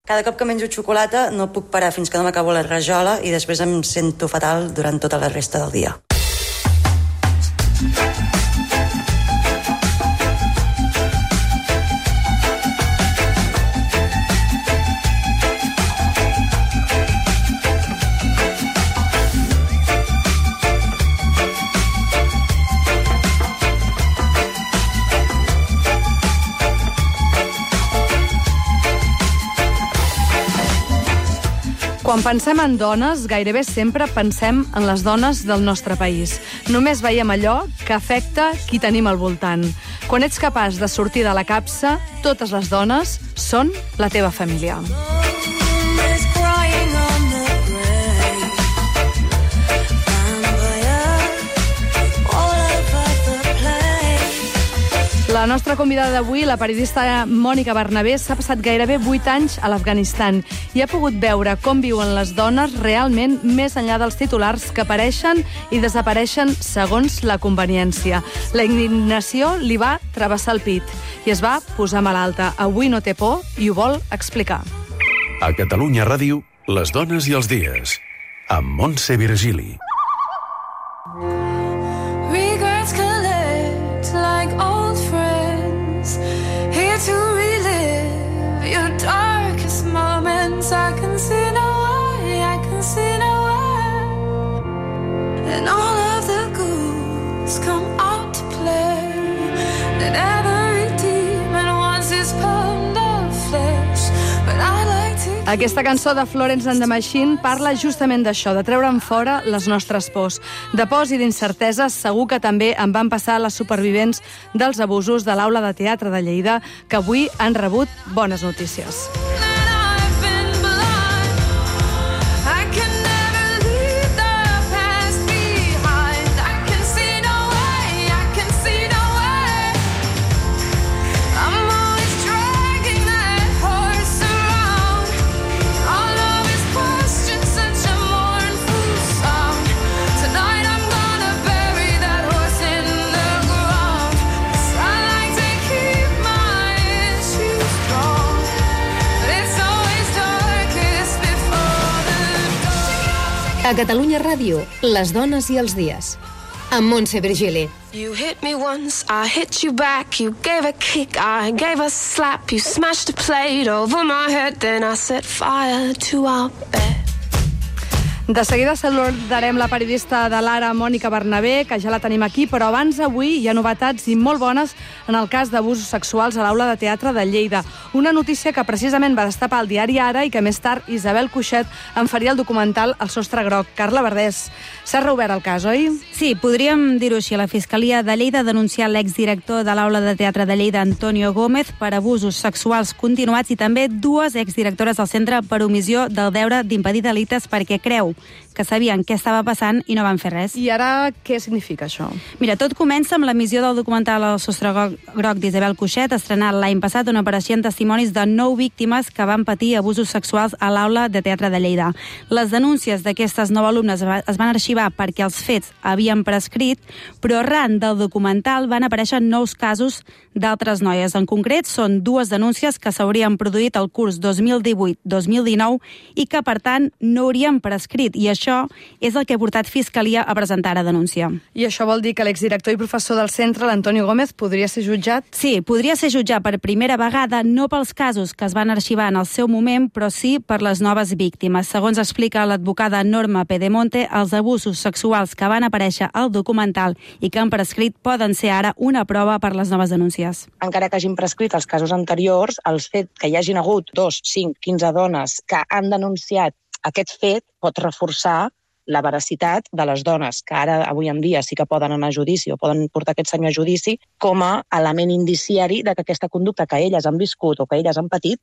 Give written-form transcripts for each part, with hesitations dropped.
Cada cop que menjo xocolata no puc parar fins que no m'acabo la rajola i després em sento fatal durant tota la resta del dia. Quan pensem en dones, gairebé sempre pensem en les dones del nostre país. Només veiem allò que afecta qui tenim al voltant. Quan ets capaç de sortir de la capsa, totes les dones són la teva família. La nostra convidada d'avui, la periodista Mònica Bernabé, s'ha passat gairebé 8 anys a l'Afganistan i ha pogut veure com viuen les dones realment més enllà dels titulars que apareixen i desapareixen segons la conveniència. La indignació li va travessar el pit i es va posar malalta. Avui no té por i ho vol explicar. A Catalunya Ràdio, les dones i els dies, amb Montse Virgili. To relive your darkest moments, I can see no way, I can see no way. And all of the ghouls come out to play. And every demon wants his pound of flesh. But I like to... Aquesta cançó de Florence and the Machine parla justament d'això, de treure'n fora les nostres pors. De pors i d'incerteses segur que també en van passar les supervivents dels abusos de l'Aula de Teatre de Lleida, que avui han rebut bones notícies. A Catalunya Ràdio, les dones i els dies. Amb Montse Virgili. You hit me once, I hit you back. You gave a kick, I gave a slap. You smashed a plate over my head, then I set fire to our bed. De seguida saludarem la periodista de l'Ara, Mònica Bernabé, que ja la tenim aquí, però abans avui hi ha novetats i molt bones en el cas d'abusos sexuals a l'Aula de Teatre de Lleida. Una notícia que precisament va destapar el diari Ara i que més tard Isabel Cuixet en faria el documental El sostre groc. Carla Verdés, s'ha reobert el cas, oi? Sí, podríem dir-ho així. La Fiscalia de Lleida ha denunciat l'exdirector de l'Aula de Teatre de Lleida, Antonio Gómez, per abusos sexuals continuats i també dues exdirectores del centre per omissió del deure d'impedir delictes perquè creu que sabien què estava passant i no van fer res. I ara què significa això? Mira, tot comença amb l'emissió del documental El sostre groc d'Isabel Cuixet, estrenat l'any passat, on apareixien testimonis de 9 víctimes que van patir abusos sexuals a l'Aula de Teatre de Lleida. Les denúncies d'aquestes 9 alumnes es van arxivar perquè els fets havien prescrit, però arran del documental van aparèixer nous casos d'altres noies. En concret, són 2 denúncies que s'haurien produït al curs 2018-2019 i que, per tant, no haurien prescrit, i això és el que ha portat Fiscalia a presentar a denúncia. I això vol dir que l'exdirector i professor del centre, l'Antonio Gómez, podria ser jutjat? Sí, podria ser jutjat per primera vegada, no pels casos que es van arxivar en el seu moment, però sí per les noves víctimes. Segons explica l'advocada Norma Pedemonte, els abusos sexuals que van aparèixer al documental i que han prescrit poden ser ara una prova per les noves denúncies. Encara que hagin prescrit els casos anteriors, el fet que hi hagin hagut 2, 5, 15 dones que han denunciat aquest fet pot reforçar la veracitat de les dones, que ara, avui en dia, sí que poden anar a judici o poden portar aquest senyor a judici com a element indiciari de que aquesta conducta que elles han viscut o que elles han patit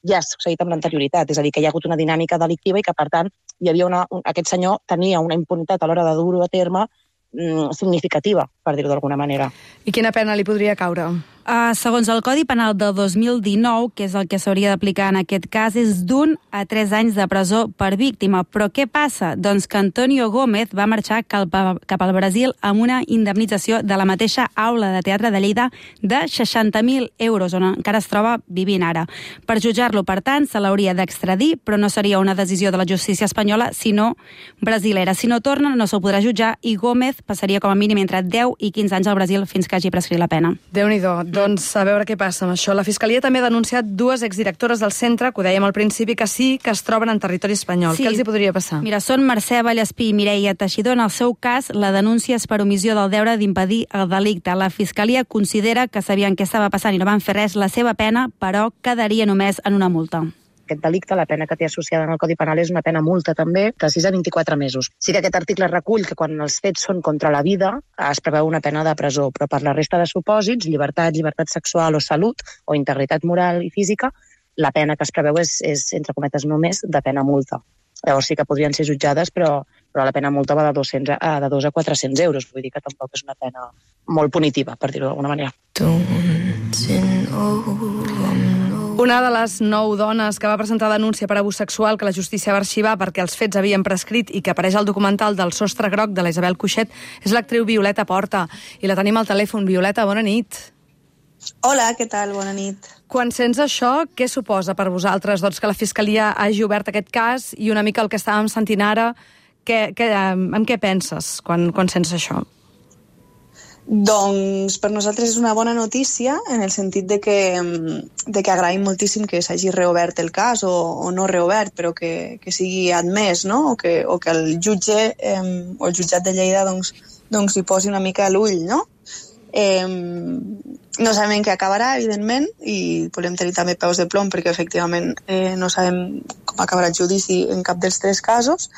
ja ha succeït amb l'anterioritat. És a dir, que hi ha hagut una dinàmica delictiva i que, per tant, aquest senyor tenia una impunitat a l'hora de dur-ho a terme significativa. per dir-ho d'alguna manera. I quina pena li podria caure? Segons el Codi Penal de 2019, que és el que s'hauria d'aplicar en aquest cas, és d'1 a 3 anys de presó per víctima. Però què passa? Doncs que Antonio Gómez va marxar cap al Brasil amb una indemnització de la mateixa aula de teatre de Lleida de 60.000 euros, on encara es troba vivint ara. Per jutjar-lo, per tant, se l'hauria d'extradir, però no seria una decisió de la justícia espanyola, sinó brasilera. Si no torna, no se'l podrà jutjar i Gómez passaria com a mínim entre 10 i 15 anys al Brasil fins que hagi prescrit la pena. Déu-n'hi-do. Doncs a veure què passa amb això. La Fiscalia també ha denunciat 2 exdirectores del centre, que ho dèiem al principi, que sí que es troben en territori espanyol. Sí. Què els hi podria passar? Mira, són Mercè Vallespí i Mireia Teixidor. En el seu cas, la denúncia és per omissió del deure d'impedir el delicte. La Fiscalia considera que sabien què estava passant i no van fer res. La seva pena, però, quedaria només en una multa. Aquest delicte, la pena que té associada en el Codi Penal és una pena multa també de 6 a 24 mesos. Sí que aquest article recull que quan els fets són contra la vida es preveu una pena de presó, però per la resta de supòsits, llibertat sexual o salut o integritat moral i física, la pena que es preveu és entre cometes només, de pena multa. Llavors sí que podrien ser jutjades, però la pena multa va de 2 a 400 euros. Vull dir que tampoc és una pena molt punitiva, per dir-ho d'alguna manera. Una de les 9 dones que va presentar denúncia per abús sexual que la justícia va arxivar perquè els fets havien prescrit i que apareix al documental del Sostre Groc de la Isabel Cuixet és l'actriu Violeta Porta. I la tenim al telèfon. Violeta, bona nit. Hola, què tal? Bona nit. Quan sents això, què suposa per vosaltres? Doncs que la Fiscalia hagi obert aquest cas i una mica el que estàvem sentint ara, amb què penses quan sents això? Doncs per nosaltres és una bona notícia en el sentit de que agraïm moltíssim que s'hagi reobert el cas o no reobert, però que sigui admès, no? o que el jutge o el jutjat de Lleida doncs hi posi una mica l'ull, no? No sabem què acabarà, evidentment, i volem tenir també peus de plom perquè efectivament no sabem com acabarà el judici en cap dels 3 casos,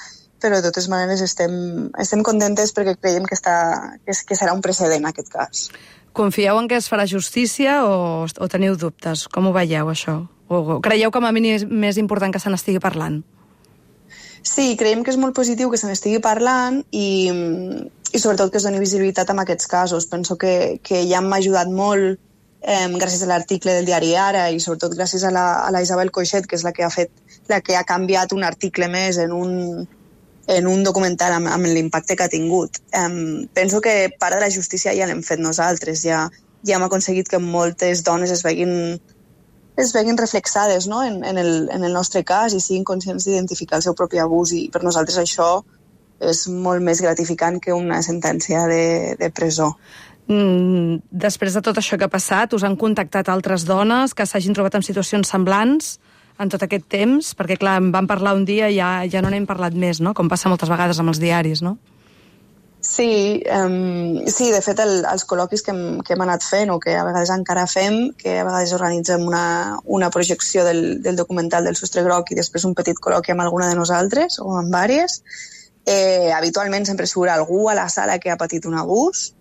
però de totes maneres estem contentes perquè creiem que serà un precedent aquest cas. Confieu en que es farà justícia o teniu dubtes? Com ho veieu, això? O creieu com a mínim més important que se n'estigui parlant? Sí, creiem que és molt positiu que se n'estigui parlant i sobretot que es doni visibilitat a aquests casos. Penso que ja m'ha ajudat molt gràcies a l'article del diari Ara i sobretot gràcies a la Isabel Coixet, que és la que ha canviat un article més en un documental amb l'impacte que ha tingut. Penso que part de la justícia ja l'hem fet nosaltres, ja hem aconseguit que moltes dones es veguin reflexades, no? en el nostre cas i siguin conscients d'identificar el seu propi abús, i per nosaltres això és molt més gratificant que una sentència de presó. Després de tot això que ha passat, us han contactat altres dones que s'hagin trobat en situacions semblants en tot aquest temps? Perquè, clar, en vam parlar un dia i ja no n'hem parlat més, no? Com passa moltes vegades amb els diaris, no? Sí, de fet, els col·loquis que hem anat fent o que a vegades encara fem, que a vegades organitzem una projecció del documental del Sostre Groc i després un petit col·loqui amb alguna de nosaltres o amb vàries, habitualment sempre surt algú a la sala que ha patit un abús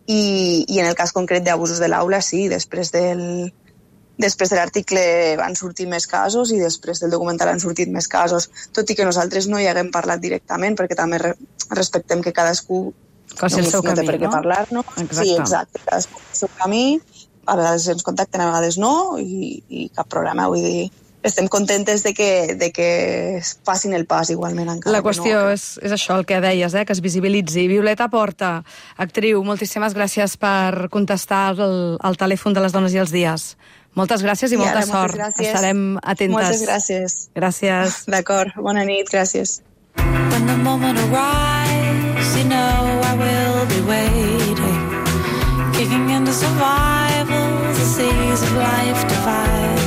i en el cas concret d'abusos de l'aula, sí, després de l'article van sortir més casos i després del documental han sortit més casos, tot i que nosaltres no hi haguem parlat directament perquè també respectem que cadascú no té per què parlar-nos. Sí, exacte, cadascú el seu camí, a vegades ens contacten, a vegades no, i cap problema, vull dir, estem contentes de que facin el pas igualment encara. La qüestió és això, el que deies, que es visibilitzi. Violeta Porta, actriu, moltíssimes gràcies per contestar al telèfon de les dones i els dies. Moltes gràcies i molta sort. Estarem atentes. Moltes gràcies. Gràcies. D'acord, bona nit, gràcies. When the moment arrives, you know I will be waiting, kicking into survival, the seas of life divide.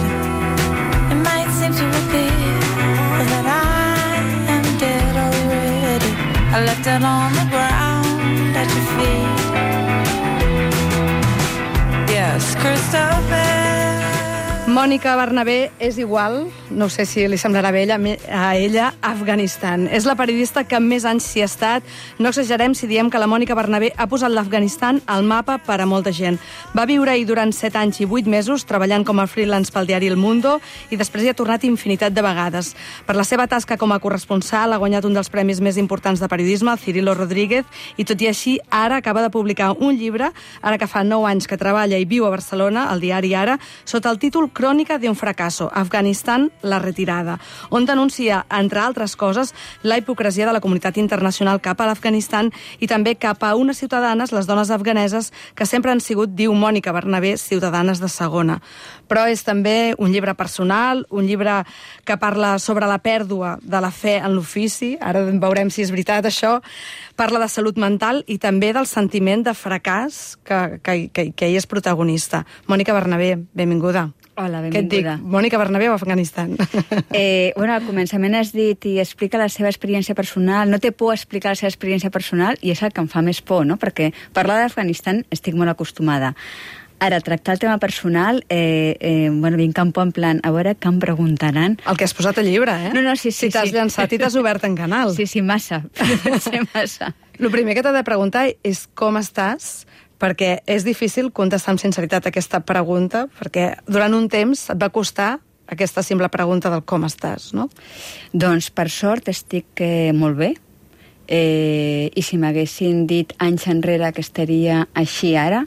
It might seem to appear that I am dead already. I left it on the ground at your feet. Yes, Christopher. Mònica Bernabé és igual, no sé si li semblarà bé a ella, a Afganistan. És la periodista que més anys s'hi ha estat. No exagerem si diem que la Mònica Bernabé ha posat l'Afganistan al mapa per a molta gent. Va viure-hi durant 7 anys i 8 mesos, treballant com a freelance pel diari El Mundo, i després hi ha tornat infinitat de vegades. Per la seva tasca com a corresponsal ha guanyat un dels premis més importants de periodisme, el Cirilo Rodríguez, i tot i així ara acaba de publicar un llibre, ara que fa 9 anys que treballa i viu a Barcelona, al diari Ara, sota el títol Crònica d'un fracasso, Afganistan, la retirada, on denuncia, entre altres coses, la hipocresia de la comunitat internacional cap a l'Afganistan i també cap a unes ciutadanes, les dones afganeses, que sempre han sigut, diu Mònica Bernabé, ciutadanes de segona. Però és també un llibre personal, un llibre que parla sobre la pèrdua de la fe en l'ofici, ara veurem si és veritat això, parla de salut mental i també del sentiment de fracàs que ell és protagonista. Mònica Bernabé, benvinguda. Hola, benvinguda. Què et dic? Mònica Bernabé o Afganistan? Bueno, al començament has dit i explica la seva experiència personal. No té por explicar la seva experiència personal i és el que em fa més por, no? Perquè parlar d'Afganistan estic molt acostumada. Ara, tractar el tema personal, bueno, vinc camp en plan, a veure què em preguntaran. El que has posat al llibre, eh? No, sí. Si t'has llançat i t'has obert en canal. Sí, massa. Massa. El primer que t'he de preguntar és com estàs, perquè és difícil contestar amb sinceritat aquesta pregunta, perquè durant un temps et va costar aquesta simple pregunta del com estàs, no? Doncs, per sort, estic molt bé. I si m'haguessin dit anys enrere que estaria així ara,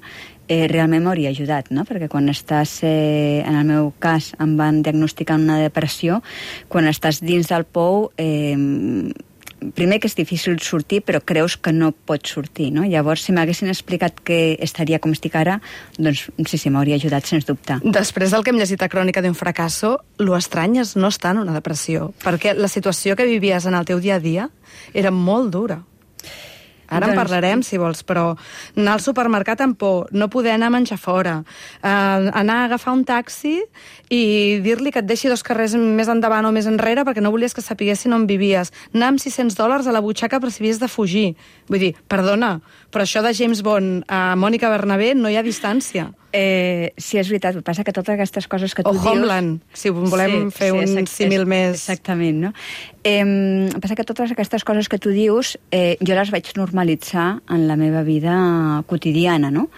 realment m'hauria ajudat, no? Perquè quan estàs, en el meu cas, em van diagnosticar una depressió, quan estàs dins del pou, primer que és difícil sortir, però creus que no pots sortir, no? Llavors, si m'haguessin explicat que estaria com estic ara, doncs sí, m'hauria ajudat, sens dubte. Després del que hem llegit a Crònica d'un fracasso, lo estrany és no estar en una depressió, perquè la situació que vivies en el teu dia a dia era molt dura. Ara en parlarem, si vols, però anar al supermercat amb por, no poder anar a menjar fora, anar a agafar un taxi i dir-li que et deixi 2 carrers més endavant o més enrere perquè no volies que sapiguessin on vivies, anar amb $600 a la butxaca per si havies de fugir. Vull dir, perdona, però això de James Bond a Mònica Bernabé no hi ha distància. Sí, és veritat, el que passa que totes aquestes coses que tu dius... O Homeland, si volem fer un símil més... Exactament, no? El que passa que totes aquestes coses que tu dius, jo les vaig normalitzar en la meva vida quotidiana, no?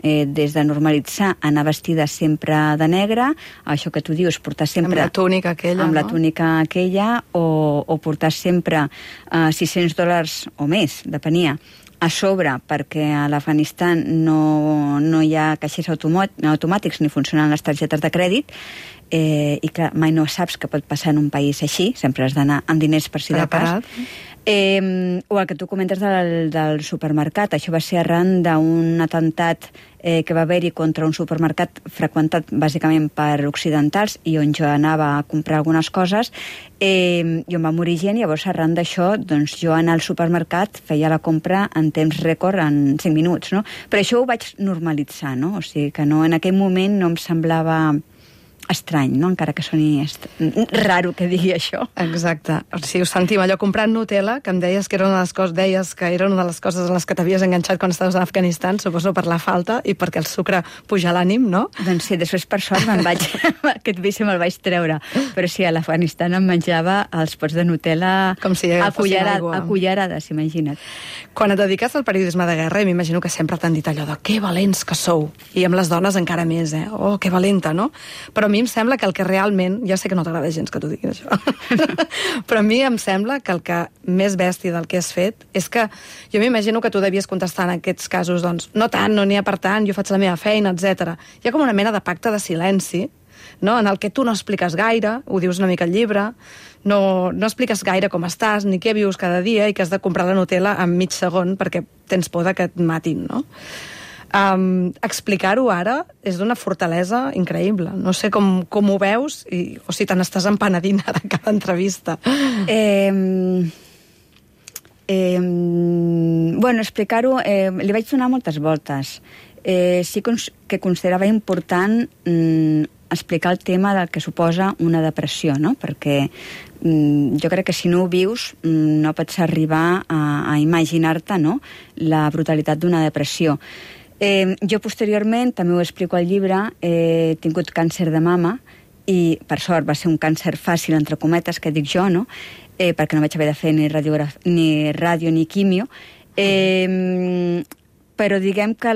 Des de normalitzar anar vestida sempre de negre, això que tu dius, portar sempre... Amb la túnica aquella, amb la túnica aquella, o portar sempre $600 o més, depenia, a sobre, perquè a l'Afganistan no hi ha caixers automàtics ni funcionen les targetes de crèdit, i que mai no saps què pot passar en un país així, sempre has d'anar amb diners per si de cas. O el que tu comentes del supermercat, això va ser arran d'un atemptat que va haver-hi contra un supermercat freqüentat bàsicament per occidentals i on jo anava a comprar algunes coses, i on va morir gent. Llavors, arran d'això, doncs, jo anar al supermercat feia la compra en temps rècord en 5 minuts, no? Però això ho vaig normalitzar, no? O sigui que no, en aquell moment no em semblava estrany, no? Encara que soni raro que digui això. Exacte. O sigui, us sentim allò comprant Nutella, que em deies que era una de les coses en les que t'havies enganxat quan estaves a Afganistan, suposo per la falta i perquè el sucre puja l'ànim, no? Doncs sí, després per sort aquest vici me'l vaig treure. Però sí, a l'Afganistan em menjava els pots de Nutella com si a cullerades, imagina't. Quan et dediques al periodisme de guerra, m'imagino que sempre t'han dit allò de que valents que sou. I amb les dones encara més, Oh, que valenta, no? Però a mi em sembla que el que realment... Ja sé que no t'agrada gens que t'ho diguin, això. Però a mi em sembla que el que més bèstia del que has fet és que jo m'imagino que tu devies contestar en aquests casos, doncs, no tant, no n'hi ha per tant, jo faig la meva feina, etc. Hi ha com una mena de pacte de silenci, no? En el que tu no expliques gaire, ho dius una mica al llibre, no expliques gaire com estàs, ni què vius cada dia i que has de comprar la Nutella en mig segon perquè tens por que et matin, no? Explicar-ho ara és d'una fortalesa increïble. No sé com ho veus o si te n'estàs empenedint ara a cada entrevista. Bueno, explicar-ho... li vaig donar moltes voltes. Sí que considerava important explicar el tema del que suposa una depressió, no? Perquè jo crec que si no ho vius no pots arribar a imaginar-te, no?, la brutalitat d'una depressió. Jo posteriorment, també ho explico al llibre, he tingut càncer de mama i per sort va ser un càncer fàcil, entre cometes, que dic jo, no? Perquè no vaig haver de fer ni ràdio ni quimio. Però diguem que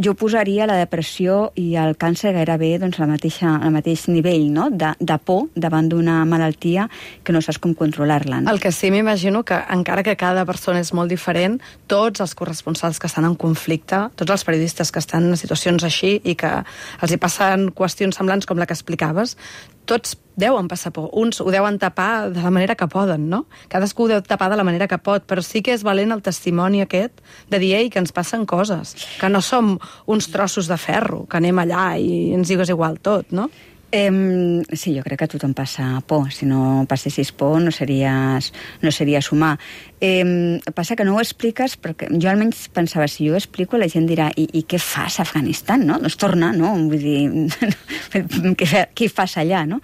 jo posaria la depressió i el càncer gairebé al mateix nivell, no? De por davant d'una malaltia que no saps com controlar-la. No? El que sí m'imagino que, encara que cada persona és molt diferent, tots els corresponsals que estan en conflicte, tots els periodistes que estan en situacions així i que els hi passen qüestions semblants com la que explicaves, tots deuen passar por. Uns ho deuen tapar de la manera que poden, no? Cadascú ho deu tapar de la manera que pot, però sí que és valent el testimoni aquest de dir, ei, que ens passen coses, que no som uns trossos de ferro, que anem allà i ens digues igual tot, no? Sí, jo crec que a tothom passa por. Si no passessis por no series humà. Passa que no ho expliques, perquè jo almenys pensava, si jo ho explico, la gent dirà, i què fas a Afganistan, no? Doncs torna, no? Vull dir, què fas allà, no?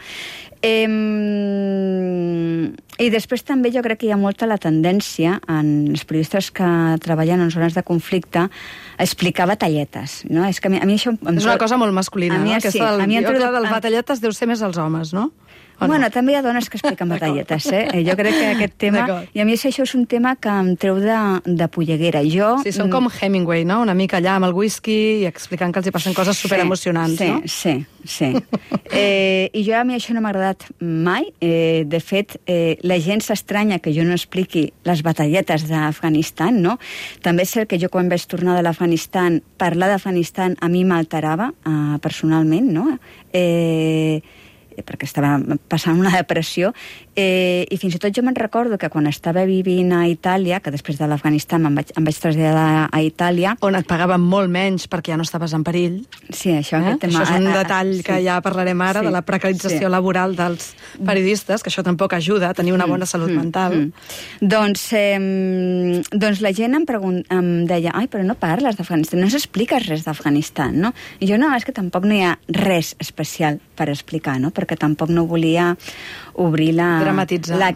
I després també jo crec que hi ha molta la tendència en els periodistes que treballen en zones de conflicte a explicar batalletes, no? És que a mi això... És una cosa molt masculina, no? Aquesta del batalletes deu ser més els homes, no? Bueno, també hi ha dones que expliquen batalletes, Jo crec que aquest tema... I a mi això és un tema que em treu de polleguera. Sí, són com Hemingway, no? Una mica allà amb el whisky i explicant que els hi passen coses superemocionants, no? Sí. I a mi això no m'ha agradat mai. De fet, la gent s'estranya que jo no expliqui les batalletes d'Afganistan, no? També és cert que jo quan vaig tornar de l'Afganistan, parlar d'Afganistan a mi m'alterava personalment, no? Perquè estava passant una depressió, i fins i tot jo me'n recordo que quan estava vivint a Itàlia, que després de l'Afganistan em vaig traslladar a Itàlia... On et pagaven molt menys perquè ja no estaves en perill. Sí, això aquest tema... Això és un detall que ja parlarem ara, de la precarització laboral dels periodistes, que això tampoc ajuda a tenir una bona salut mental. Doncs la gent em deia, ai, però no parles d'Afganistan, no s'expliques res d'Afganistan, no? I jo, no, és que tampoc no hi ha res especial per explicar, no? Perquè tampoc no volia obrir la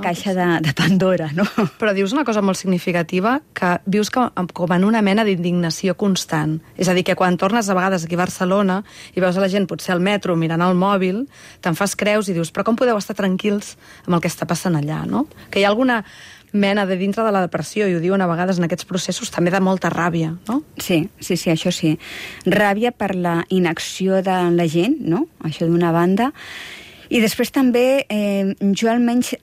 caixa de Pandora, no? Però dius una cosa molt significativa, que vius com en una mena d'indignació constant. És a dir, que quan tornes a vegades aquí a Barcelona i veus a la gent potser al metro mirant el mòbil, te'n fas creus i dius, però com podeu estar tranquils amb el que està passant allà, no? Que hi ha alguna mena de dintre de la depressió, i ho diuen a vegades en aquests processos, també de molta ràbia, no? Sí, això sí. Ràbia per la inacció de la gent, no? Això d'una banda. I després també, jo almenys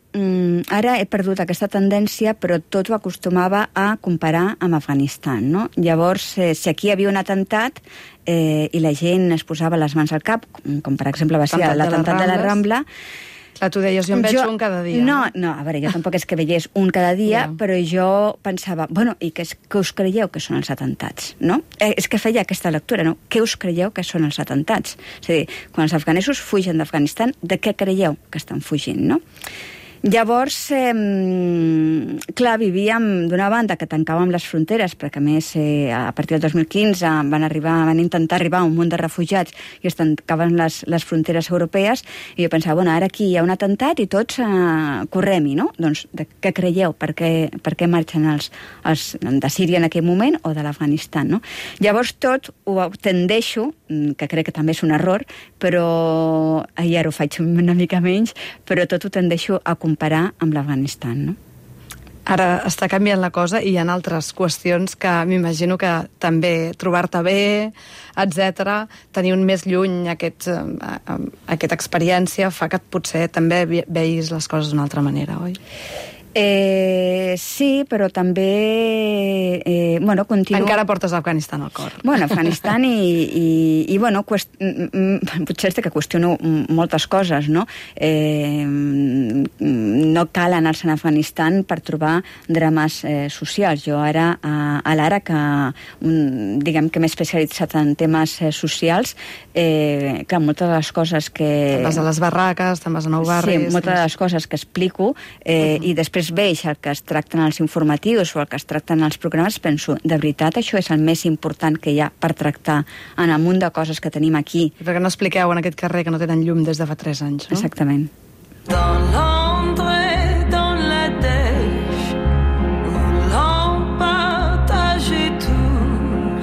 ara he perdut aquesta tendència, però tot ho acostumava a comparar amb Afganistan, no? Llavors, si aquí hi havia un atemptat i la gent es posava les mans al cap, com per exemple va ser l'atemptat de la Rambla, clar, tu deies, jo en veig un cada dia. No, a veure, jo tampoc és que veiés un cada dia, però jo pensava, bueno, i què us creieu que són els atemptats, no? És que feia aquesta lectura, no? Què us creieu que són els atemptats? És a dir, quan els afganesos fugen d'Afganistan, de què creieu que estan fugint, no? Llavors, clar, vivíem d'una banda que tancàvem les fronteres, perquè a més a partir del 2015 van intentar arribar un munt de refugiats i es tancaven les fronteres europees, i jo pensava, bueno, ara aquí hi ha un atemptat i tots correm-hi, no? Doncs de què creieu? Per què marxen els de Síria en aquell moment o de l'Afganistan, no? Llavors tot ho tendeixo, que crec que també és un error, però ara ho faig una mica menys, però tot ho tendeixo a comparar amb l'Afganistan, no? Ara està canviant la cosa i hi ha altres qüestions que m'imagino que també trobar-te bé, etc., tenir un més lluny aquesta experiència fa que potser també veis les coses d'una altra manera, oi? Sí, però també continuo... Encara portes Afganistan al cor. Bueno, Afganistan i potser és que qüestiono moltes coses, no? No cal anar-se'n a Afganistan per trobar drames socials. Jo ara, a l'ara, que diguem que m'he especialitzat en temes socials, clar, moltes de les coses que... Te'n vas a les barraques, te'n vas a Nou Barris... Sí, moltes de les coses que explico i després veig el que es tracten els informatius o el que es tracten els programes, penso, de veritat, això és el més important que hi ha per tractar en el munt de coses que tenim aquí. Perquè no expliqueu en aquest carrer que no tenen llum des de fa 3 anys, no? Exactament. Dans l'ombre et dans la dèche, où l'on partageait tout,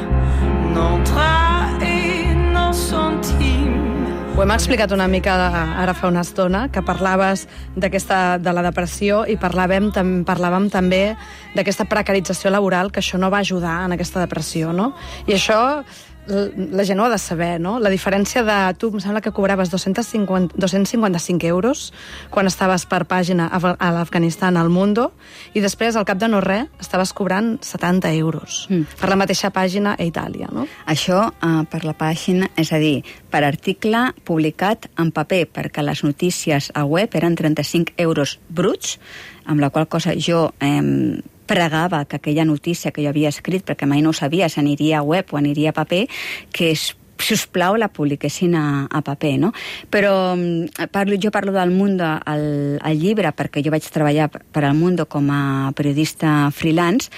nos traits et nos centimes. Ho hem explicat una mica ara fa una estona que parlaves de la depressió i parlàvem també d'aquesta precarització laboral, que això no va ajudar en aquesta depressió, no? I això la gent ho ha de saber, no? La diferència de... Tu em sembla que cobraves 255 euros quan estaves per pàgina a l'Afganistan al Mundo, i després, al cap de no res, estaves cobrant 70 euros per la mateixa pàgina a Itàlia, no? Això per la pàgina, és a dir, per article publicat en paper, perquè les notícies a web eren 35 euros bruts, amb la qual cosa jo pregava que aquella notícia que jo havia escrit, perquè mai no ho sabia si aniria a web o aniria a paper, que si us plau la publiquessin a paper, no? Però jo parlo del Mundo al llibre, perquè jo vaig treballar per al Mundo com a periodista freelance,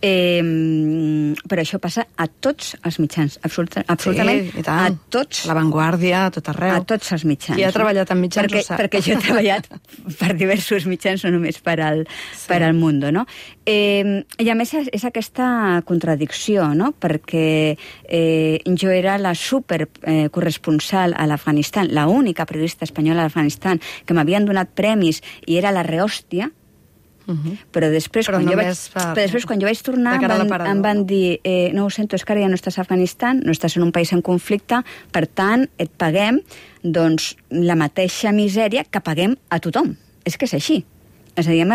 però això passa a tots els mitjans, absolutament a tots. La Vanguardia, a tot arreu. A tots els mitjans. Qui ha treballat en mitjans ho sap. Perquè jo he treballat per diversos mitjans, no només per al Mundo, no? I a més és aquesta contradicció, no? Perquè jo era la supercorresponsal a l'Afganistan, l'única periodista espanyola a l'Afganistan, que m'havien donat premis i era la rehòstia. Però després, quan jo vaig tornar, em van dir no ho sento, és que ara ja no estàs a Afganistan, no estàs en un país en conflicte, per tant, et paguem la mateixa misèria que paguem a tothom. És que és així. És a dir, em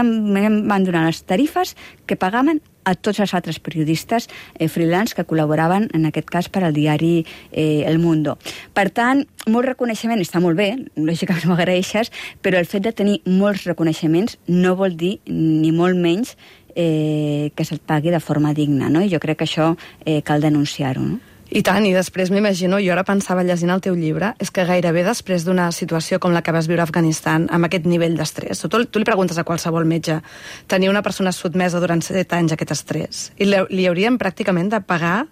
van donar les tarifes que pagaven a tots els altres periodistes freelance que col·laboraven, en aquest cas, per al diari El Mundo. Per tant, molt reconeixement està molt bé, lògicament m'ho agraeixes, però el fet de tenir molts reconeixements no vol dir, ni molt menys, que se't pagui de forma digna, no? I jo crec que això cal denunciar-ho, no? I tant, i després m'imagino, jo ara pensava llegint el teu llibre, és que gairebé després d'una situació com la que vas viure a Afganistan, amb aquest nivell d'estrès, tu li preguntes a qualsevol metge, tenir una persona sotmesa durant 7 anys a aquest estrès, i li hauríem pràcticament de pagar,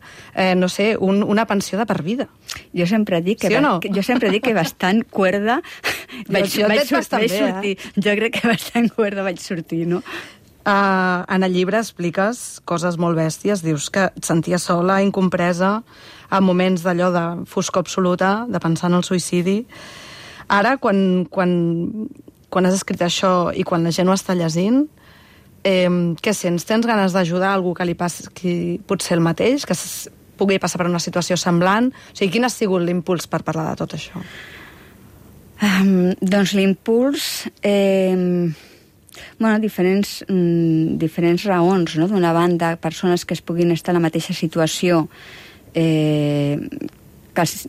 no sé, una pensió de per vida. Jo sempre dic que bastant cuerda vaig sortir. Jo crec que bastant cuerda vaig sortir, no? En el llibre expliques coses molt bèsties, dius que et senties sola, incompresa, en moments d'allò de foscor absoluta, de pensar en el suïcidi. Ara, quan has escrit això i quan la gent ho està llegint, què sents? Tens ganes d'ajudar a algú que li passi potser el mateix, que pugui passar per una situació semblant? O sigui, quin ha sigut l'impuls per parlar de tot això? Doncs l'impuls... diferents raons, no? D'una banda, persones que es puguin estar en la mateixa situació, que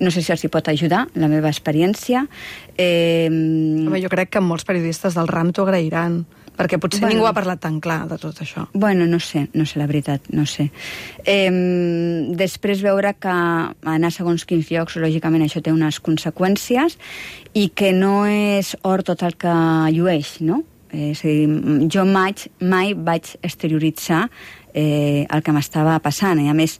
no sé si els hi pot ajudar, la meva experiència. Home, jo crec que molts periodistes del RAM t'ho agrairan, perquè potser ningú ha parlat tan clar de tot això. Bueno, no sé la veritat, no sé. Després veure que anar segons quins llocs, lògicament això té unes conseqüències, i que no és or tot el que llueix, no? És a dir, jo mai vaig exterioritzar el que m'estava passant, i a més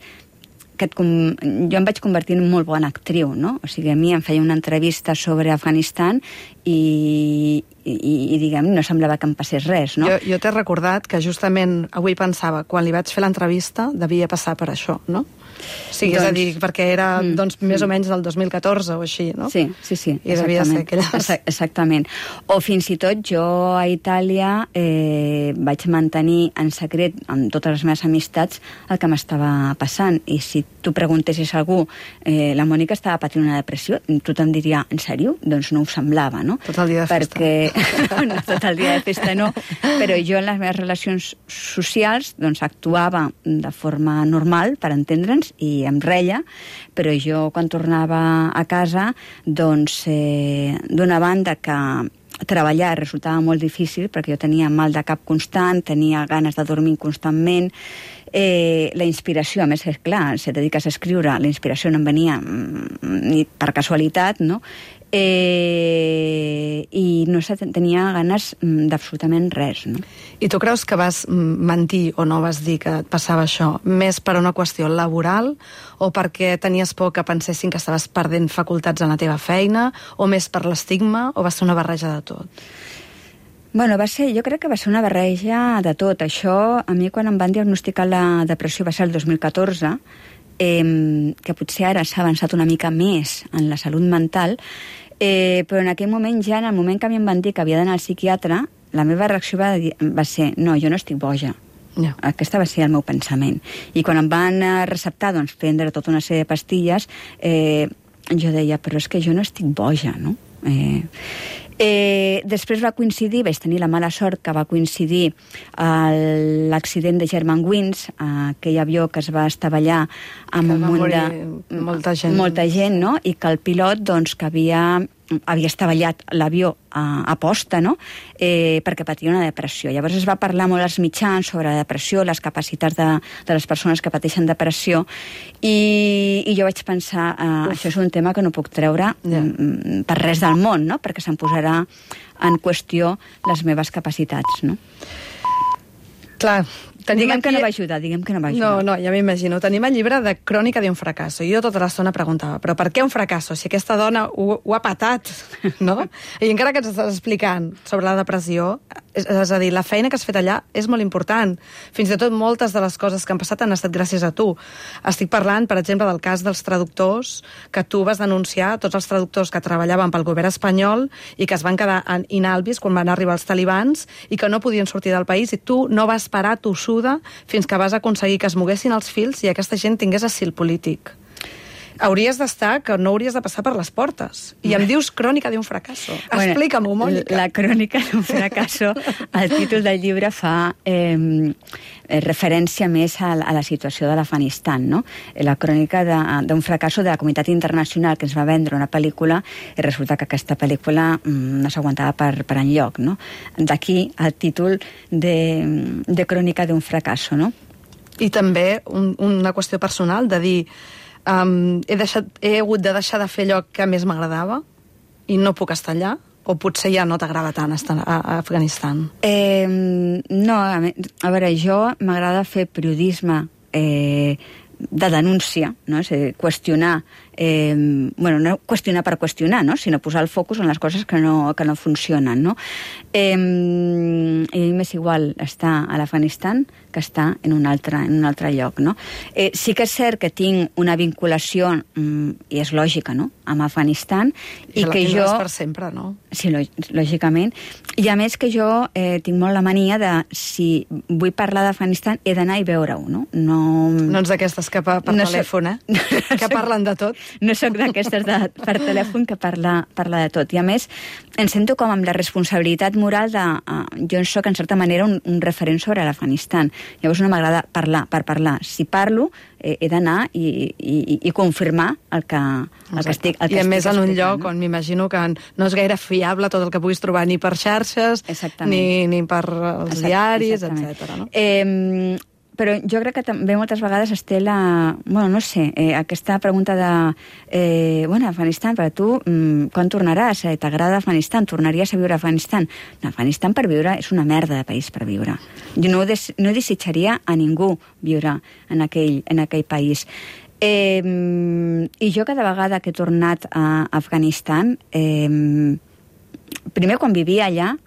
jo em vaig convertir en molt bona actriu, no? O sigui, a mi em feia una entrevista sobre Afganistan i diguem, no semblava que em passés res, no? Jo t'he recordat que justament avui pensava, quan li vaig fer l'entrevista devia passar per això, no? Sí, és a dir, perquè era més o menys del 2014 o així, no? Sí. I devia ser aquelles... Exactament. O fins i tot jo a Itàlia vaig mantenir en secret amb totes les meves amistats el que m'estava passant, i si tu preguntessis a algú la Mònica estava patint una depressió, tothom diria, en sèrio? Doncs no ho semblava, no? Tot el dia de festa. No, tot el dia de festa no, però jo en les meves relacions socials doncs actuava de forma normal, per entendre'ns, i em reia, però jo quan tornava a casa, doncs d'una banda que treballar resultava molt difícil, perquè jo tenia mal de cap constant, tenia ganes de dormir constantment, la inspiració, a més, és clar, si et dediques a escriure, la inspiració no em venia ni per casualitat, no? I no tenia ganes d'absolutament res, no? I tu creus que vas mentir o no vas dir que et passava això més per una qüestió laboral o perquè tenies por que pensessin que estaves perdent facultats en la teva feina o més per l'estigma o va ser una barreja de tot? Bueno, jo crec que va ser una barreja de tot. Això, a mi quan em van diagnosticar la depressió va ser el 2014, que potser ara s'ha avançat una mica més en la salut mental, Però en aquell moment, ja en el moment que a mi em van dir que havia d'anar al psiquiatre, la meva reacció va ser, no, jo no estic boja. Ja. Aquesta va ser el meu pensament. I quan em van receptar prendre tota una sèrie de pastilles, jo deia, però és que jo no estic boja, no? Després va coincidir, vaig tenir la mala sort que va coincidir l'accident de Germanwings, aquell avió que es va estavellar amb un munt de... Molta gent, no? I que el pilot, que havia estavellat l'avió a posta, no? Perquè patia una depressió. Llavors es va parlar molt als mitjans sobre la depressió, les capacitats de les persones que pateixen depressió, i jo vaig pensar, això és un tema que no puc treure per res del món, no? Perquè se'm posarà en qüestió les meves capacitats, no? Clar, diguem que no va ajudar. No, ja m'imagino. Tenim el llibre de Crònica d'un fracasso. Jo tota l'estona preguntava, però per què un fracasso? Si aquesta dona ho ha patat, no? I encara que ens estàs explicant sobre la depressió, és a dir, la feina que has fet allà és molt important. Fins i tot moltes de les coses que han passat han estat gràcies a tu. Estic parlant, per exemple, del cas dels traductors, que tu vas denunciar, tots els traductors que treballaven pel govern espanyol i que es van quedar inhàbils quan van arribar els talibans i que no podien sortir del país, i tu no vas parar tossuda fins que vas aconseguir que es moguessin els fils i aquesta gent tingués asil polític. Hauries d'estar, que no hauries de passar per les portes. I em dius Crònica d'un fracasso. Explica-m'ho, Mònica. La Crònica d'un fracasso, el títol del llibre fa referència més a la situació de l'Afganistan, no? La crònica d'un fracasso de la comunitat internacional que ens va vendre una pel·lícula i resulta que aquesta pel·lícula no s'aguantava per enlloc, no? D'aquí el títol de Crònica d'un fracasso, no? I també una qüestió personal de dir he hagut de deixar de fer allò que més m'agradava i no puc estar allà, o potser ja no t'agrada tant estar a Afganistan? No, a veure, jo m'agrada fer periodisme de denúncia, no? És a dir, qüestionar, no qüestionar per qüestionar, no? Sinó posar el focus en les coses que no funcionen, no? I m'és igual estar a l'Afganistan que estar en un altre lloc, no? Sí que és cert que tinc una vinculació, i és lògica, no?, amb Afganistan, i que jo... per sempre, no? Sí, lògicament. I a més que jo tinc molt la mania de, si vull parlar d'Afganistan, he d'anar i veure-ho, no? No ets d'aquestes que per telèfon, que parlen de tot. No sóc d'aquestes per telèfon que parla de tot. I a més, em sento com amb la responsabilitat moral de... Jo sóc, en certa manera, un referent sobre l'Afganistan. Llavors no m'agrada parlar per parlar. Si parlo, he d'anar i confirmar el que estic explicant. I a més en un lloc on m'imagino que no és gaire fiable tot el que puguis trobar ni per xarxes, ni per els diaris, etc. No? Però jo crec que també moltes vegades es té aquesta pregunta de Afganistan, per a tu, quan tornaràs? T'agrada Afganistan? Tornaries a viure a Afganistan? No, Afganistan per viure és una merda de país per viure. Jo no desitjaria a ningú viure en aquell país. I jo cada vegada que he tornat a Afganistan, primer quan vivia allà,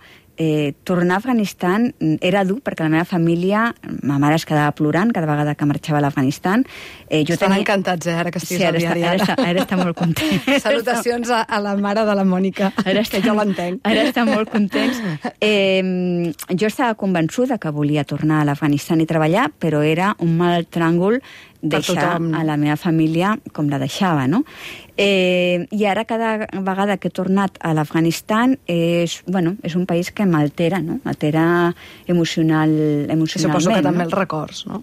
tornar a Afganistan era dur perquè la meva família, ma mare es quedava plorant cada vegada que marxava a l'Afganistan. Estan encantats, ara que estiguis al diari. Ara està molt content. Salutacions a la mare de la Mònica, que jo l'entenc. Ara està molt contents. Jo estava convençuda que volia tornar a l'Afganistan i treballar, però era un mal tràngol deixar a la meva família com la deixava, no? I ara cada vegada que he tornat a l'Afganistan és un país que m'altera, no? M'altera emocionalment. Suposo que també els records, no?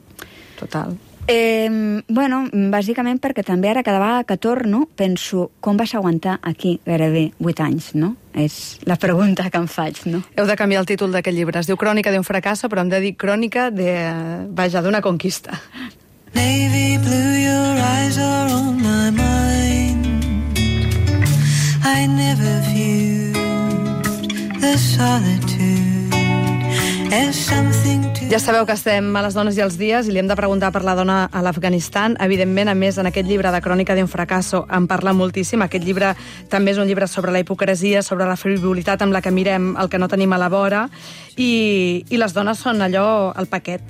Total. Bàsicament perquè també ara cada vegada que torno penso com vas aguantar aquí gairebé 8 anys, no? És la pregunta que em faig, no? Heu de canviar el títol d'aquest llibre. Es diu Crònica d'un fracasso, però hem de dir crònica d'una conquista. Navy blue, your eyes are on my mind. I never viewed the solitude as something to... Ja sabeu que estem a les dones i els dies i li hem de preguntar per la dona a l'Afganistan. Evidentment, a més, en aquest llibre de Crònica d'un fracasso en parla moltíssim. Aquest llibre també és un llibre sobre la hipocresia, sobre la frivolitat amb la que mirem el que no tenim a la vora. I les dones són allò, el paquet,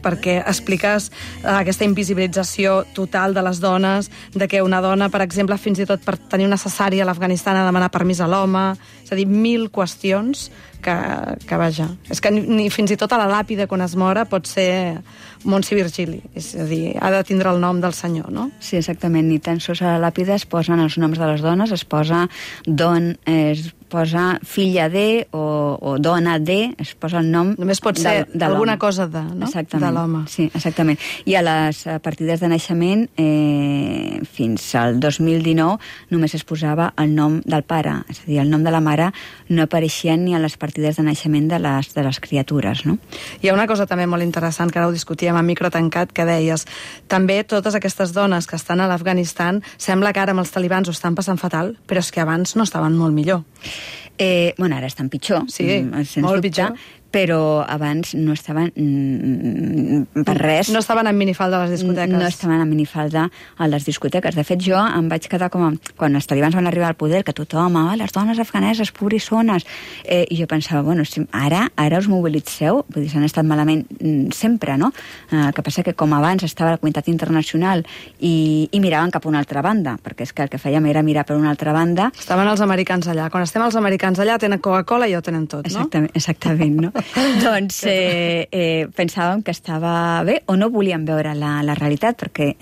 perquè expliques aquesta invisibilització total de les dones, de que una dona, per exemple, fins i tot per tenir una cesària a l'Afganistan ha de demanar permís a l'home, és a dir, 1000 qüestions que vaja, és que ni fins i tot a la làpida quan es mora pot ser Montse Virgili, és a dir, ha de tindre el nom del senyor, no? Sí, exactament, ni tan sols a la làpida es posen els noms de les dones, es posa filla de o dona de, es posa el nom només pot ser de alguna cosa de, no? Exactament, de l'home. Sí, exactament. I a les partides de naixement fins al 2019 només es posava el nom del pare, és a dir, el nom de la mare no apareixia ni a les partides de naixement de les criatures, no? Hi ha una cosa també molt interessant, que ara ho discutíem a micro tancat, que deies, també totes aquestes dones que estan a l'Afganistan, sembla que ara amb els talibans ho estan passant fatal, però és que abans no estaven molt millor. Bueno, ara estan pitjor, sí, molt pitjor, però abans no estaven per res. No estaven en minifalda a les discoteques. No estaven en minifalda a les discoteques. De fet, jo em vaig quedar com quan els talibans van arribar al poder, que tothom, les dones afganeses, pobrissones, i jo pensava, bueno, si ara us mobilitzeu, vull dir, s'han estat malament sempre, no? El que passa que com abans estava la comunitat internacional i miraven cap a una altra banda, perquè és que el que fèiem era mirar per una altra banda. Estaven els americans allà. Quan estem els americans allà tenen Coca-Cola i ja ho tenen tot, no? Exactament, no? Doncs pensàvem que estava bé o no volíem veure la realitat, perquè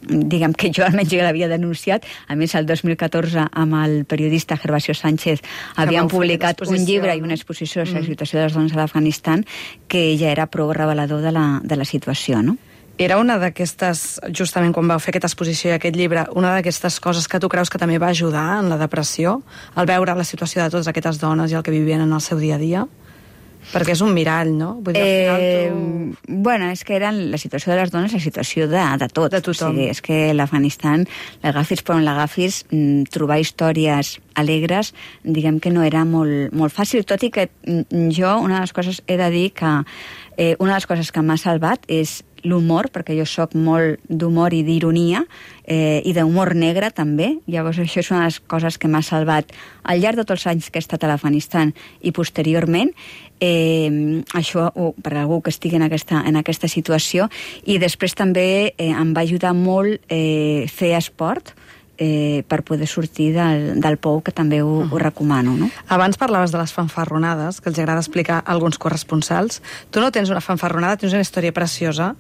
diguem que jo almenys ja l'havia denunciat. A més, el 2014 amb el periodista Gervasio Sánchez havíem publicat un llibre i una exposició sobre la situació de les dones a l'Afganistan que ja era prou revelador de la situació, no? Era una d'aquestes, justament quan vau fer aquesta exposició i aquest llibre, una d'aquestes coses que tu creus que també va ajudar en la depressió, al veure la situació de totes aquestes dones i el que vivien en el seu dia a dia? Perquè és un mirall, no? Vull dir, al final Bueno, és que era la situació de les dones la situació de tot. De tothom. O sigui, és que l'Afganistan, l'agafis per on l'agafis, trobar històries alegres, diguem que no era molt fàcil, tot i que jo, una de les coses, he de dir que una de les coses que m'ha salvat és l'humor, perquè jo sóc molt d'humor i d'ironia, i d'humor negre també. Llavors això és una de les coses que m'ha salvat al llarg de tots els anys que he estat a l'Afganistan i posteriorment. Això per algú que estigui en aquesta situació. I després també em va ajudar molt fer esport, per poder sortir del pou, que també ho recomano, no? Abans parlaves de les fanfarronades, que els agrada explicar a alguns corresponsals. Tu no tens una fanfarronada, tens una història preciosa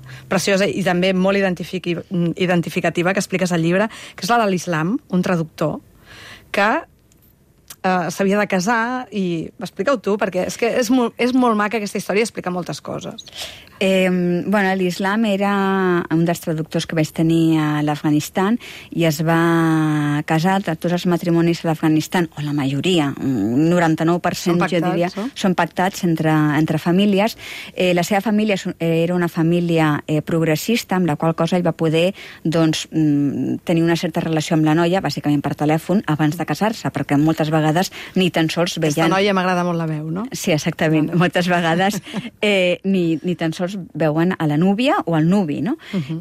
i també molt identificativa, que expliques al llibre, que és la de l'Islam, un traductor, que s'havia de casar i... Explica-ho tu, perquè és que és molt maca aquesta història i explica moltes coses. Bueno, l'Islam era un dels traductors que vaig tenir a l'Afganistan i es va casar. Tots els matrimonis a l'Afganistan, o la majoria, un 99% jo diria, són pactats entre famílies. La seva família era una família progressista, amb la qual cosa ell va poder tenir una certa relació amb la noia, bàsicament per telèfon, abans de casar-se, perquè moltes vegades ni tan sols veien... Aquesta noia m'agrada molt la veu, no? Sí, exactament. Moltes vegades ni tan sols veuen a la núvia o al nuvi, no?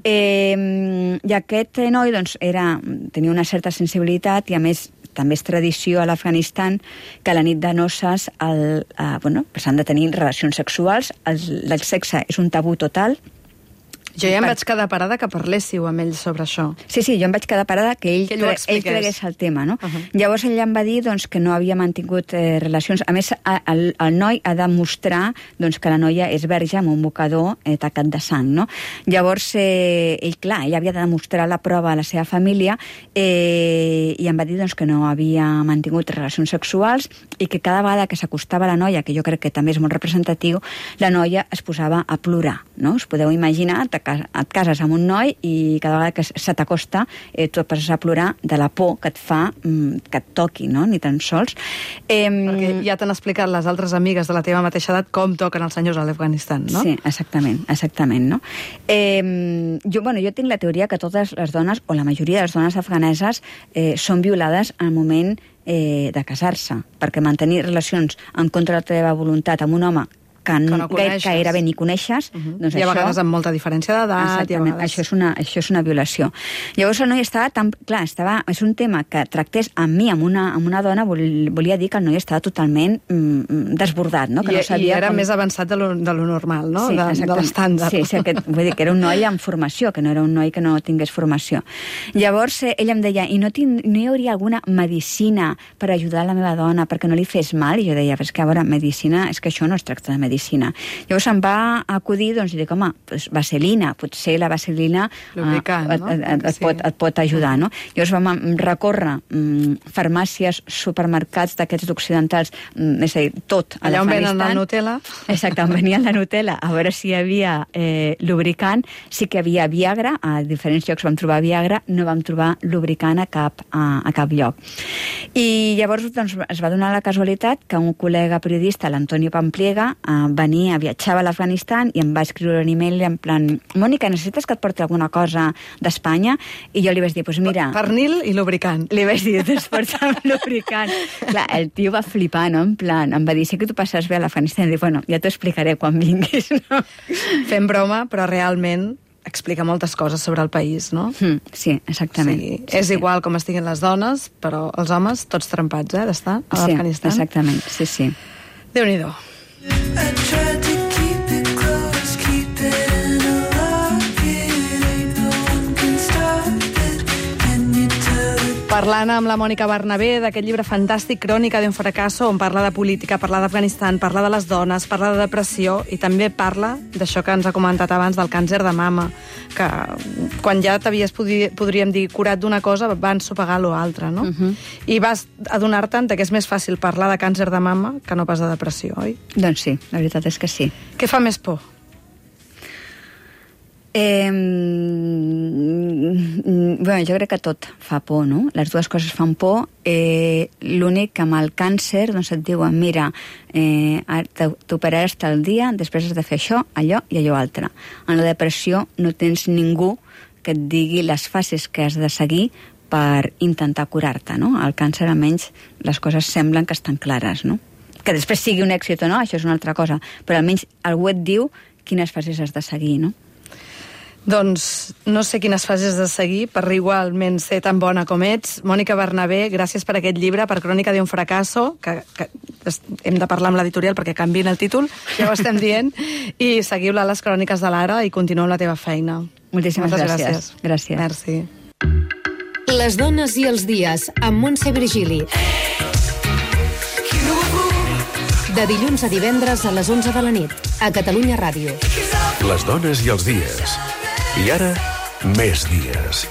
I aquest noi, doncs, tenia una certa sensibilitat i, a més, també és tradició a l'Afganistan que a la nit de noces s'han de tenir relacions sexuals. El sexe és un tabú total. Jo ja em vaig quedar parada que parléssiu amb ell sobre això. Sí, jo em vaig quedar parada que ell cregués el tema, no? Llavors ell em va dir que no havia mantingut relacions. A més, el noi ha de mostrar que la noia és verge amb un mocador tacat de sang, no? Llavors, ell havia de demostrar la prova a la seva família i em va dir que no havia mantingut relacions sexuals i que cada vegada que s'acostava a la noia, que jo crec que també és molt representatiu, la noia es posava a plorar, no? Us podeu imaginar, et cases amb un noi i cada vegada que se t'acosta tu et passes a plorar de la por que et fa que et toqui, no? Ni tan sols. Perquè ja t'han explicat les altres amigues de la teva mateixa edat com toquen els senyors a l'Afganistan, no? Sí, exactament, no? Jo tinc la teoria que totes les dones, o la majoria de les dones afganeses, són violades al moment de casar-se, perquè mantenir relacions en contra de la teva voluntat amb un home que no gairebé ni coneixes. Doncs I a vegades amb molta diferència d'edat. Exactament, això és una violació. Llavors el noi estava tan... Clar, és un tema que tractés amb mi, amb una dona, volia dir que el noi estava totalment desbordat, no? Que no sabia era més avançat de lo normal, no? Sí, de l'estàndard. Sí, vull dir que era un noi amb formació, que no era un noi que no tingués formació. Llavors ell em deia, i no hi hauria alguna medicina per ajudar la meva dona perquè no li fes mal? I jo deia, però és que a veure, medicina, és que això no es tracta de medicina. Llavors em va acudir, doncs, i dic, home, doncs vaselina, potser la vaselina et pot ajudar, no? Llavors vam recórrer farmàcies, supermercats d'aquests occidentals, és a dir, tot a l'Afganistan. Allà on venen la Nutella. Exacte, on venia la Nutella, a veure si hi havia lubricant. Sí que hi havia Viagra, a diferents llocs vam trobar Viagra, no vam trobar lubricant a cap lloc. I llavors doncs, es va donar la casualitat que un col·lega periodista, l'Antonio Pampliega, viatjava a l'Afganistan i em va escriure un email en plan, Mònica, necessites que et porti alguna cosa d'Espanya? I jo li vaig dir, doncs mira... Pernil i lubricant. Li vaig dir, doncs porta'm lubricant. Clar, el tio va flipar, no? En plan, em va dir, sí que tu passes bé a l'Afganistan. I dic, bueno, ja t'ho explicaré quan vinguis, no? Fem broma, però realment explica moltes coses sobre el país, no? Sí, exactament. És igual com estiguin les dones, però els homes, tots trempats, d'estar a l'Afganistan. Sí, exactament, sí. Déu-n'hi-do. Parlant amb la Mònica Bernabé d'aquest llibre fantàstic, Crònica d'un fracasso, on parla de política, parla d'Afganistan, parla de les dones, parla de depressió i també parla d'això que ens ha comentat abans del càncer de mama, que quan ja t'havies, podríem dir, curat d'una cosa, va ensopegar l'altra, no? I vas adonar-te'n que és més fàcil parlar de càncer de mama que no pas de depressió, oi? Doncs sí, la veritat és que sí. Què fa més por? Bueno, jo crec que tot fa por, no? Les dues coses fan por. L'únic que amb el càncer doncs et diuen, mira, t'operaràs tal dia, després has de fer això, allò i allò altre. En la depressió no tens ningú que et digui les fases que has de seguir per intentar curar-te, no? Al càncer, almenys, les coses semblen que estan clares, no? Que després sigui un èxit o no, això és una altra cosa, però almenys algú et diu quines fases has de seguir, no? Doncs no sé quines fases de seguir per igualment ser tan bona com ets. Mònica Bernabé, gràcies per aquest llibre, per Crònica d'un fracasso, que hem de parlar amb l'editorial perquè canviïn el títol, ja ho estem dient, i seguiu-la a les Cròniques de l'Ara i continueu amb la teva feina. Moltíssimes gràcies. Gràcies. Merci. Les dones i els dies, amb Montse Virgili. De dilluns a divendres a les 11 de la nit, a Catalunya Ràdio. Les dones i els dies. I ara, més dies.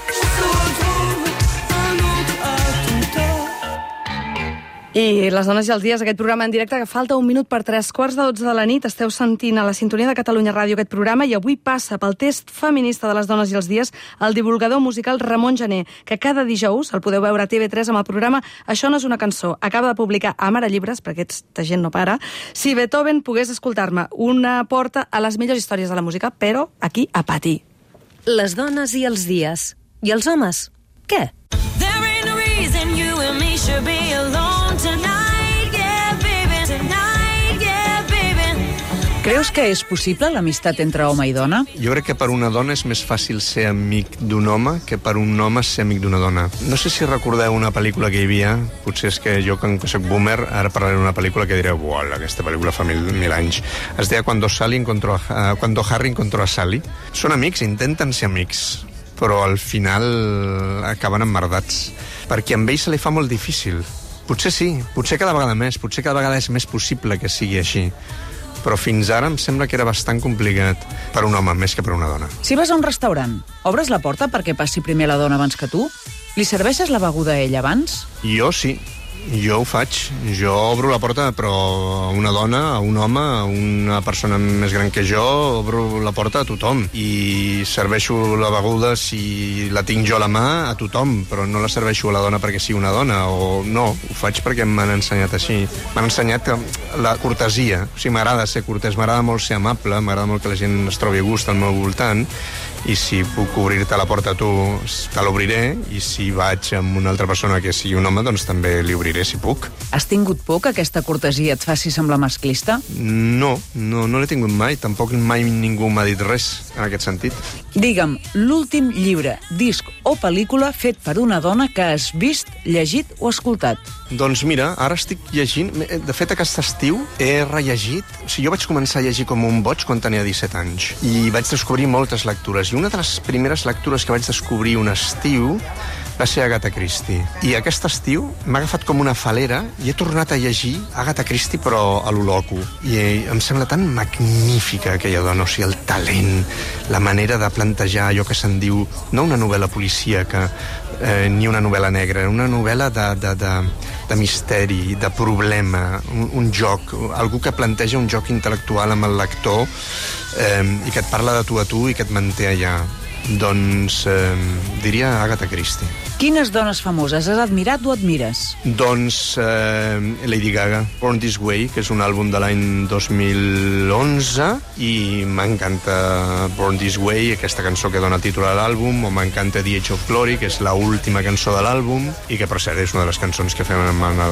I les dones i els dies, aquest programa en directe que falta 1 minut per 3:15 de la nit. Esteu sentint a la sintonia de Catalunya Ràdio aquest programa i avui passa pel test feminista de les dones i els dies el divulgador musical Ramon Gené, que cada dijous el podeu veure a TV3 amb el programa Això no és una cançó. Acaba de publicar a Mare Llibres, perquè aquesta gent no para, Si Beethoven pogués escoltar-me, una porta a les millors històries de la música, però aquí a patir. Les dones i els dies. I els homes? Què? There ain't no reason you and me should be alone tonight, yeah, baby, tonight, yeah, baby. Creus que és possible l'amistat entre home i dona? Jo crec que per una dona és més fàcil ser amic d'un home que per un home ser amic d'una dona. No sé si recordeu una pel·lícula que hi havia, potser és que jo, que soc boomer, ara parlaré d'una pel·lícula que diré, uau, aquesta pel·lícula fa mil anys. Es deia Cuando Harry encontró a Sally. Són amics, intenten ser amics, però al final acaben emmerdats, perquè amb ell se li fa molt difícil. Potser sí, potser cada vegada més, potser cada vegada és més possible que sigui així, però fins ara em sembla que era bastant complicat per un home més que per una dona. Si vas a un restaurant, obres la porta perquè passi primer la dona abans que tu? Li serveixes la beguda a ella abans? Jo sí. Jo ho faig. Jo obro la porta, però a una dona, a un home, a una persona més gran que jo, obro la porta a tothom. I serveixo la beguda, si la tinc jo a la mà, a tothom, però no la serveixo a la dona perquè sigui una dona, o no, ho faig perquè m'han ensenyat així. M'han ensenyat la cortesia. O sigui, m'agrada ser cortès, m'agrada molt ser amable, m'agrada molt que la gent es trobi a gust al meu voltant, i si puc obrir-te la porta a tu, te l'obriré, i si vaig amb una altra persona que sigui un home, doncs també li obriré. diré si puc. Has tingut por que aquesta cortesia et faci semblar masclista? No l'he tingut mai. Tampoc mai ningú m'ha dit res en aquest sentit. Digue'm, l'últim llibre, disc o pel·lícula fet per una dona que has vist, llegit o escoltat. Doncs mira, ara estic llegint... De fet, aquest estiu he rellegit... O sigui, jo vaig començar a llegir com un boig quan tenia 17 anys. I vaig descobrir moltes lectures. I una de les primeres lectures que vaig descobrir un estiu va ser Agatha Christie. I aquest estiu m'ha agafat com una falera i he tornat a llegir Agatha Christie, però a lo loco. I em sembla tan magnífica aquella dona, o sigui, el talent, la manera de plantejar allò que se'n diu, no una novel·la policíaca, ni una novel·la negra, una novel·la de misteri, de problema, un joc, algú que planteja un joc intel·lectual amb el lector i que et parla de tu a tu i que et manté allà. Doncs diria Agatha Christie. Quines dones famoses has admirat o admires? Doncs Lady Gaga, Born This Way, que és un àlbum de l'any 2011, i m'encanta Born This Way, aquesta cançó que dona títol a l'àlbum, o m'encanta The Age of Glory, que és l'última cançó de l'àlbum, i que per cert és una de les cançons que fem en el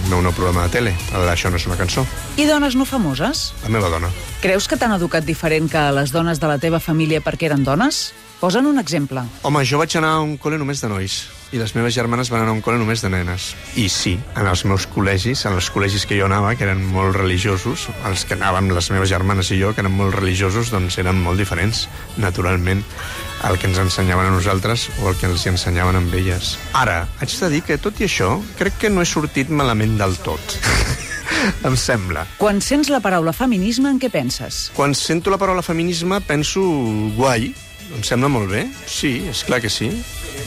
meu nou programa de tele, Això no és una cançó. I dones no famoses? La meva dona. Creus que t'han educat diferent que les dones de la teva família perquè eren dones? Posa'n un exemple. Home, jo vaig anar a un col·le només de nois i les meves germanes van anar a un col·le només de nenes. I sí, en els meus col·legis, en els col·legis que jo anava, que eren molt religiosos, els que anàvem les meves germanes i jo, que eren molt religiosos, doncs eren molt diferents, naturalment, el que ens ensenyaven a nosaltres o el que els ensenyaven amb elles. Ara, haig de dir que, tot i això, crec que no he sortit malament del tot. Em sembla. Quan sents la paraula feminisme, en què penses? Quan sento la paraula feminisme, penso guai. Em sembla molt bé. Sí, és clar que sí.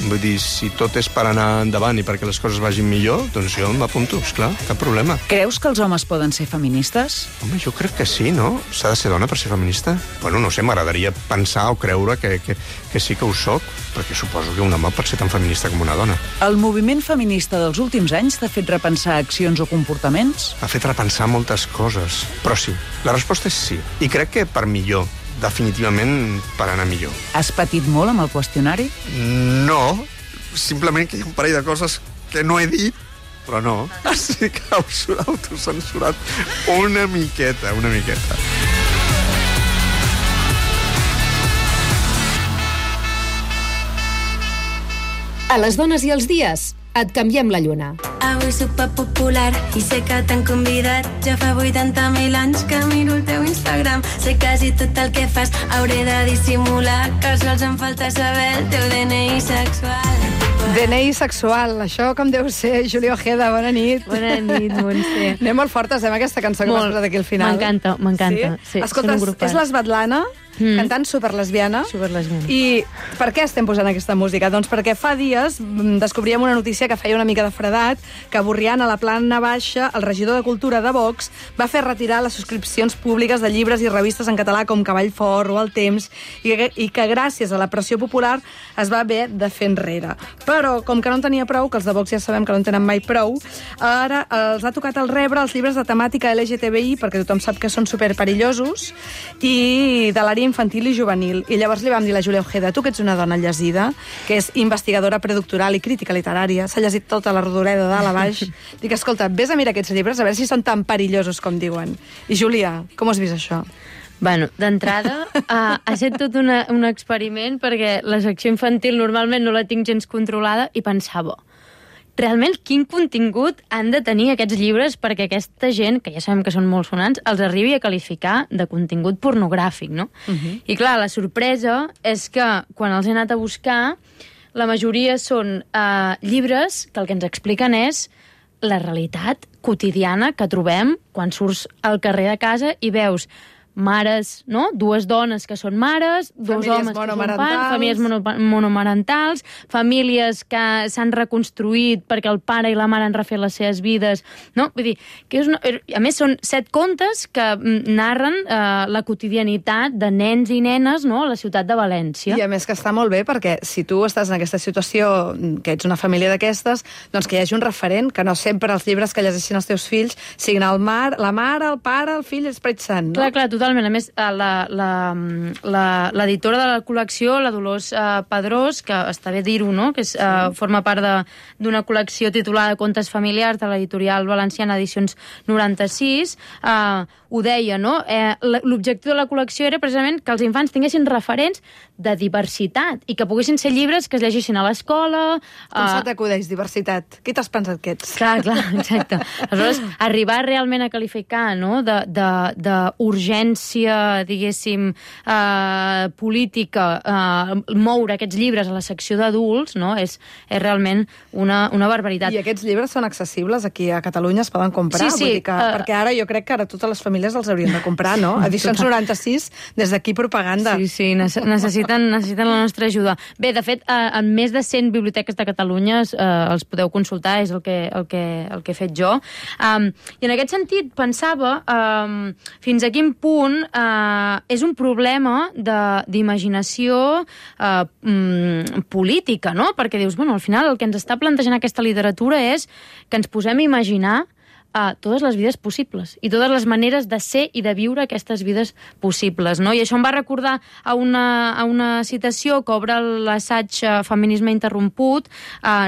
Vull dir, si tot és per anar endavant i perquè les coses vagin millor, doncs jo m'apunto, esclar, cap problema. Creus que els homes poden ser feministes? Home, jo crec que sí, no? S'ha de ser dona per ser feminista? Bueno, no sé, m'agradaria pensar o creure que sí que ho soc, perquè suposo que un home pot ser tan feminista com una dona. El moviment feminista dels últims anys t'ha fet repensar accions o comportaments? M'ha fet repensar moltes coses, però sí. La resposta és sí. I crec que per millor. Definitivament per anar millor. Has patit molt amb el qüestionari? No, simplement que hi ha un parell de coses que no he dit, però no. Estic autocensurat una miqueta. A les dones i els dies, et canviem la lluna. Avui superpopular i sé que t'han convidat. Ja fa 80.000 anys que miro el teu Instagram. Sé quasi tot el que fas, hauré de dissimular que sols em falta saber el teu DNI sexual. DNI sexual, això com deu ser, Júlia Ojeda, bona nit. Bona nit, Montse. Anem molt fortes, amb aquesta cançó que m'has posat aquí al final. M'encanta. Sí? Escolta, és l'Svetlana, cantant superlesbiana. I per què estem posant aquesta música? Doncs perquè fa dies descobríem una notícia que feia una mica de fredat, que a Borriana, a la plana baixa, el regidor de Cultura de Vox va fer retirar les subscripcions públiques de llibres i revistes en català com Cavall Fort o El Temps, i que gràcies a la pressió popular es va haver de fer enrere. Però, com que no en tenia prou, que els de Vox ja sabem que no en tenen mai prou, ara els ha tocat el rebre els llibres de temàtica LGTBI, perquè tothom sap que són superperillosos, i de l'àrea infantil i juvenil. I llavors li vam dir a la Júlia Ojeda, tu que ets una dona llegida, que és investigadora predoctoral i crítica literària, s'ha llegit tota la rodoreda de dalt a baix, dic, escolta, vés a mirar aquests llibres a veure si són tan perillosos com diuen. I Júlia, com has vist això? Bueno, d'entrada, ha estat tot un experiment perquè la secció infantil normalment no la tinc gens controlada i pensava, realment quin contingut han de tenir aquests llibres perquè aquesta gent, que ja sabem que són molt sonants, els arribi a qualificar de contingut pornogràfic, no? I clar, la sorpresa és que quan els he anat a buscar, la majoria són llibres que el que ens expliquen és la realitat quotidiana que trobem quan surts al carrer de casa i veus mares, no? Dues dones que són mares, dos homes que són pares, famílies monomarentals, famílies que s'han reconstruït perquè el pare i la mare han refet les seves vides, no? Vull dir, que és a més són 7 contes que narren la quotidianitat de nens i nenes, no?, a la ciutat de València. I a més que està molt bé perquè si tu estàs en aquesta situació, que ets una família d'aquestes, doncs que hi hagi un referent, que no sempre els llibres que llegeixin els teus fills siguin la mare, el pare, el fill i l'Esperit Sant, no? Clar, totalment. A més, l'editora de la col·lecció, la Dolors Pedrós, que està bé dir-ho, no? Que forma part d'una col·lecció titulada Contes familiars de l'editorial valenciana Edicions 96, ho deia, no? L'objectiu de la col·lecció era precisament que els infants tinguessin referents de diversitat i que poguessin ser llibres que es llegissin a l'escola. Com se t'acudeix, diversitat? Qui t'has pensat que ets? Clar, exacte. Aleshores, arribar realment a qualificar, no?, d'urgència, diguéssim, política, moure aquests llibres a la secció d'adults, no?, és realment una barbaritat. I aquests llibres són accessibles aquí a Catalunya, es poden comprar? Sí. Vull dir que, perquè ara jo crec que ara totes les famílies els haurien de comprar, no? Edicions 96, des d'aquí propaganda. Sí, necessiten la nostra ajuda. Bé, de fet, en més de 100 biblioteques de Catalunya els podeu consultar, és el que he fet jo. I en aquest sentit pensava fins a quin punt és un problema d'imaginació política, no? Perquè dius, bueno, al final el que ens està plantejant aquesta literatura és que ens posem a imaginar totes les vides possibles i totes les maneres de ser i de viure aquestes vides possibles, no? I això em va recordar a una citació que obre l'assaig Feminisme interromput,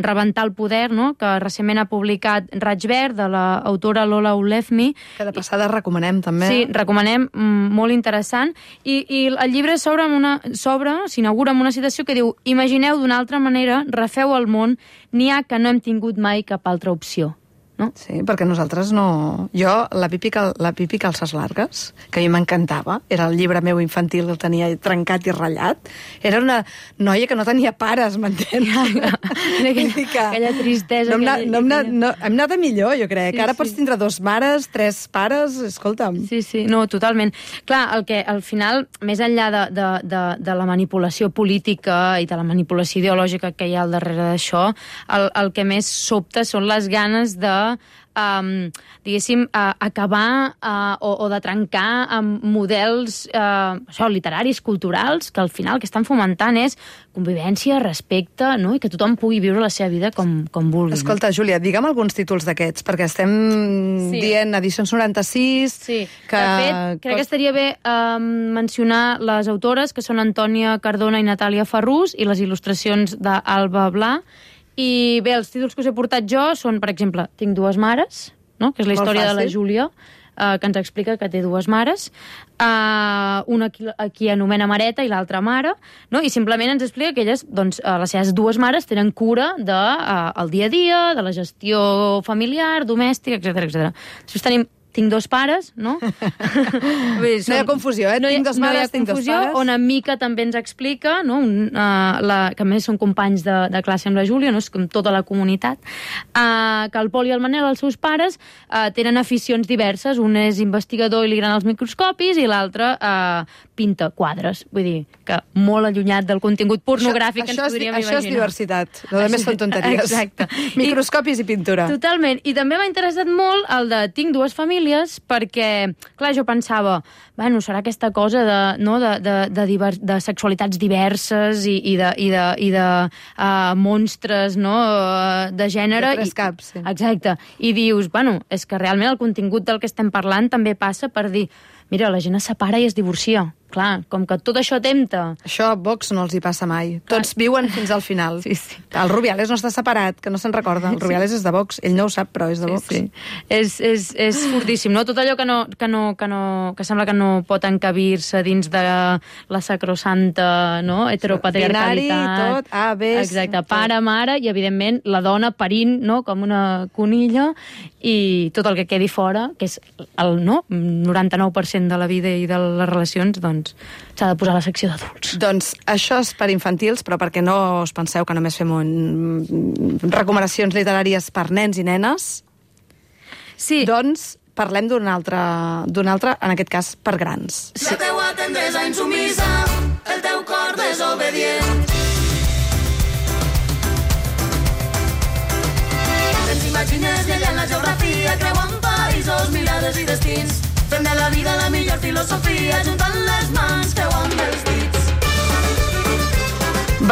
Rebentar el poder, no?, que recentment ha publicat Raig Verd, de l'autora Lola Ulefmi. Que de passada recomanem, també. Sí, recomanem, molt interessant. I el llibre s'inaugura amb una citació que diu: imagineu d'una altra manera, refeu el món, n'hi ha que no hem tingut mai cap altra opció. No? Sí, perquè nosaltres no... Jo, la Pipi Calces Largues, que a mi m'encantava, era el llibre meu infantil que el tenia trencat i ratllat, era una noia que no tenia pares, m'entens? Aquella tristesa. Hem anat a millor, jo crec. Ara pots tindre 2 mares, 3 pares, escolta'm. Sí, no, totalment. Clar, el que al final, més enllà de la manipulació política i de la manipulació ideològica que hi ha al darrere d'això, el que més sobta són les ganes de diguéssim, acabar o de trencar amb models literaris, culturals, que al final que estan fomentant és convivència, respecte, no?, i que tothom pugui viure la seva vida com vulgui. Escolta, Júlia, digue'm alguns títols d'aquests, perquè estem dient Edicions 96... Sí, de fet, crec que estaria bé mencionar les autores, que són Antònia Cardona i Natàlia Ferrús, i les il·lustracions d'Alba Blà. I bé, els títols que us he portat jo són, per exemple, Tinc 2 mares, no?, que és la història de la Júlia, que ens explica que té 2 mares, una qui anomena Mareta i l'altra Mare, no?, i simplement ens explica que elles, doncs, les seves 2 mares tenen cura del dia a dia, de la gestió familiar, domèstica, etc. Després tenim Tinc 2 pares, no? No hi ha confusió, eh? Tinc 2 mares, tinc 2 pares. On en Mica també ens explica, no? Que a més són companys de classe amb la Júlia, no? És com tota la comunitat, que el Pol i el Manel, els seus pares, tenen aficions diverses. Un és investigador i li agraden els microscopis i l'altre pinta quadres. Vull dir, que molt allunyat del contingut pornogràfic que ens podríem imaginar. Això és diversitat. El més són tonteries. Exacte. Microscopis i pintura. Totalment. I també m'ha interessat molt el de Tinc 2 famílies, perquè, clar, jo pensava, bueno, serà aquesta cosa de sexualitats diverses i de monstres, no?, de gènere. De 3 caps, sí. Exacte. I dius, bueno, és que realment el contingut del que estem parlant també passa per dir, mira, la gent es separa i es divorcia. Clar, com que tot això tempta. Això a Vox no els hi passa mai. Tots viuen fins al final. Sí. El Rubiales no està separat, que no se'n recorda. El Rubiales és de Vox. Ell no ho sap, però és de Vox. Sí. És fortíssim, no? Tot allò que sembla que no pot encabir-se dins de la sacrosanta, no?, heteropatriarcalitat. Binari, tot, A, B... Exacte, pare, mare, i evidentment la dona parint, no?, com una conilla, i tot el que quedi fora, que és el 99% de la vida i de les relacions, doncs s'ha de posar a la secció d'adults. Doncs això és per infantils, però perquè no us penseu que només fem recomanacions literàries per nens i nenes, sí, doncs parlem d'un altre, en aquest cas, per grans. La teua tendresa insumisa, el teu cor desobedient. Ens imagines llegint la geografia, creuant països, mirades i destins. Fem de la vida la millor filosofia, juntant les mans, creuant els dits.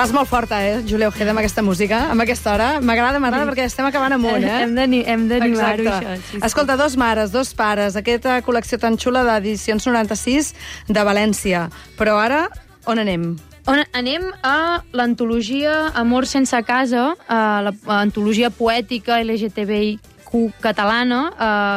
Vas molt forta, Júlia Ojeda, amb aquesta música, amb aquesta hora. M'agrada perquè estem acabant amunt, Hem d'animar-ho, això. Sí. Escolta, dos mares, dos pares, aquesta col·lecció tan xula d'edicions 96 de València. Però ara, on anem? Anem a l'antologia Amor sense casa, l'antologia poètica LGTBIQ catalana,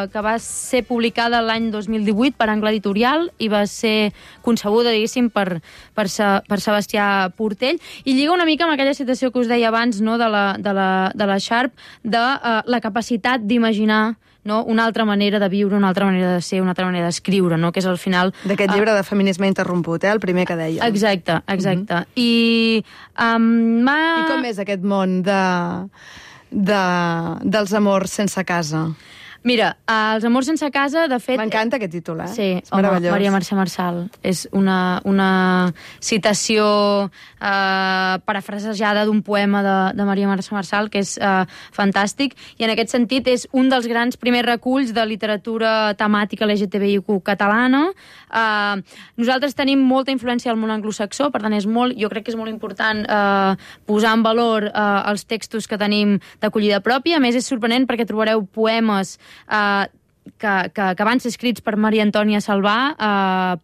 que va ser publicada l'any 2018 per Angle Editorial i va ser concebuda, diguéssim, per Sebastià Portell, i lliga una mica amb aquella situació que us deia abans, no?, de la Sharp, de la capacitat d'imaginar, no?, una altra manera de viure, una altra manera de ser, una altra manera d'escriure, no?, que és al final... D'aquest llibre de Feminisme interromput, el primer que deia. Exacte. I com és aquest món dels amors sense casa? Mira, els amors sense casa, de fet... M'encanta aquest títol, Sí, és meravellós. Maria Mercè Marçal. És una citació parafrasejada d'un poema de Maria Mercè Marçal, que és fantàstic, i en aquest sentit és un dels grans primers reculls de literatura temàtica LGTBIQ catalana. Nosaltres tenim molta influència al món anglosaxó, per tant, jo crec que és molt important posar en valor els textos que tenim d'acollida pròpia. A més, és sorprenent perquè trobareu poemes que van ser escrits per Maria Antònia Salvà,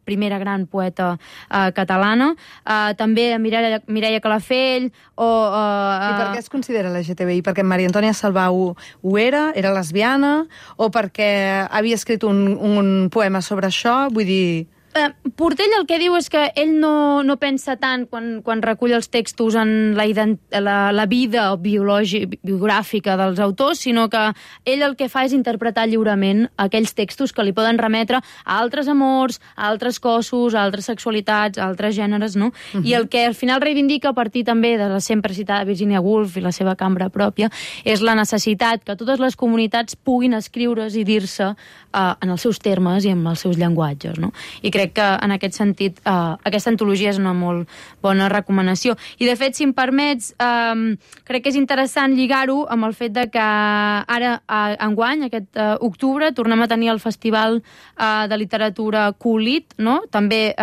primera gran poeta catalana, també Mireia Calafell, I per què es considera LGTBI? Perquè Maria Antònia Salvà ho era lesbiana, o perquè havia escrit un poema sobre això? Vull dir... Portell el que diu és que ell no pensa tant quan recull els textos en la vida biogràfica dels autors, sinó que ell el que fa és interpretar lliurement aquells textos que li poden remetre a altres amors, a altres cossos, a altres sexualitats, a altres gèneres, no? I el que al final reivindica, a partir també de la sempre citada Virginia Woolf i la seva cambra pròpia, és la necessitat que totes les comunitats puguin escriure's i dir-se en els seus termes i amb els seus llenguatges, no? I crec que en aquest sentit aquesta antologia és una molt bona recomanació. I de fet, si em permets, crec que és interessant lligar-ho amb el fet de que ara, enguany, aquest octubre, tornem a tenir el Festival de Literatura Colit, no? També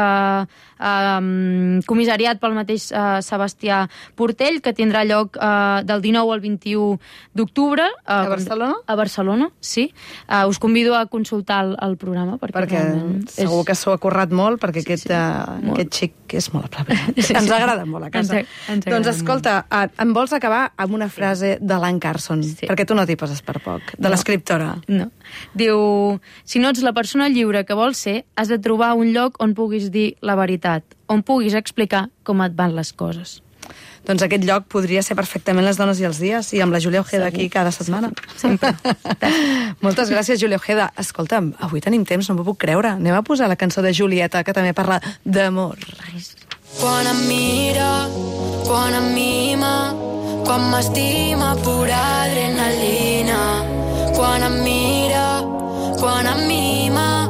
comissariat pel mateix Sebastià Portell, que tindrà lloc del 19 al 21 d'octubre. A Barcelona? A Barcelona, sí. Us convido a consultar el programa. Perquè segur que s'ho ha currat molt, perquè aquest xic és molt aplaudit. Ens agrada molt a casa. Doncs escolta, em vols acabar amb una frase de l'Anne Carson, perquè tu no t'hi poses per poc, de l'escriptora. No. Diu, si no ets la persona lliure que vols ser, has de trobar un lloc on puguis dir la veritat, on puguis explicar com et van les coses. Doncs aquest lloc podria ser perfectament Les dones i els dies, i amb la Júlia Ojeda aquí cada setmana. Sempre. Moltes gràcies, Júlia Ojeda. Escolta'm, avui tenim temps, no m'ho puc creure. Anem a posar la cançó de Julieta, que també parla d'amor. Quan em mira, quan em mima, quan m'estima pura adrenalina. Quan em mira, quan em mima,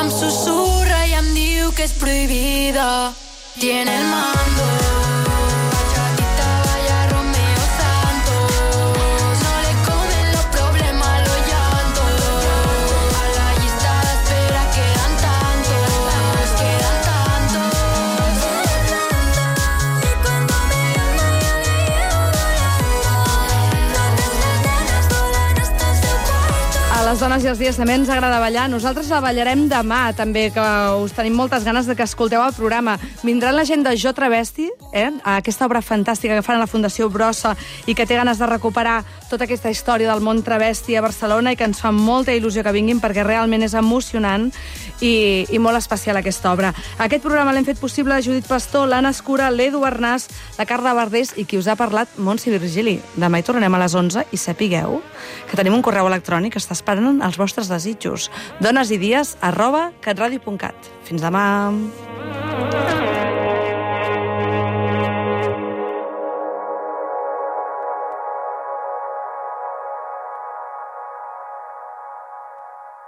em susurra i em diu que és prohibida. Tiene el mando. Les dones i els dies també ens agrada ballar. Nosaltres la ballarem demà, també, que us tenim moltes ganes de que escolteu el programa. Vindrà la gent de Jo Travesti, aquesta obra fantàstica que fan a la Fundació Brossa i que té ganes de recuperar tota aquesta història del món travesti a Barcelona i que ens fa molta il·lusió que vinguin perquè realment és emocionant i molt especial aquesta obra. Aquest programa l'hem fet possible la Judit Pastor, l'Anna Escura, l'Edu Arnàs, la Carla Verdés i qui us ha parlat, Montse Virgili. Demà hi tornem a les 11 i sapigueu que tenim un correu electrònic que està esperant els vostres desitjos. donesidies@catradio.cat. Fins demà.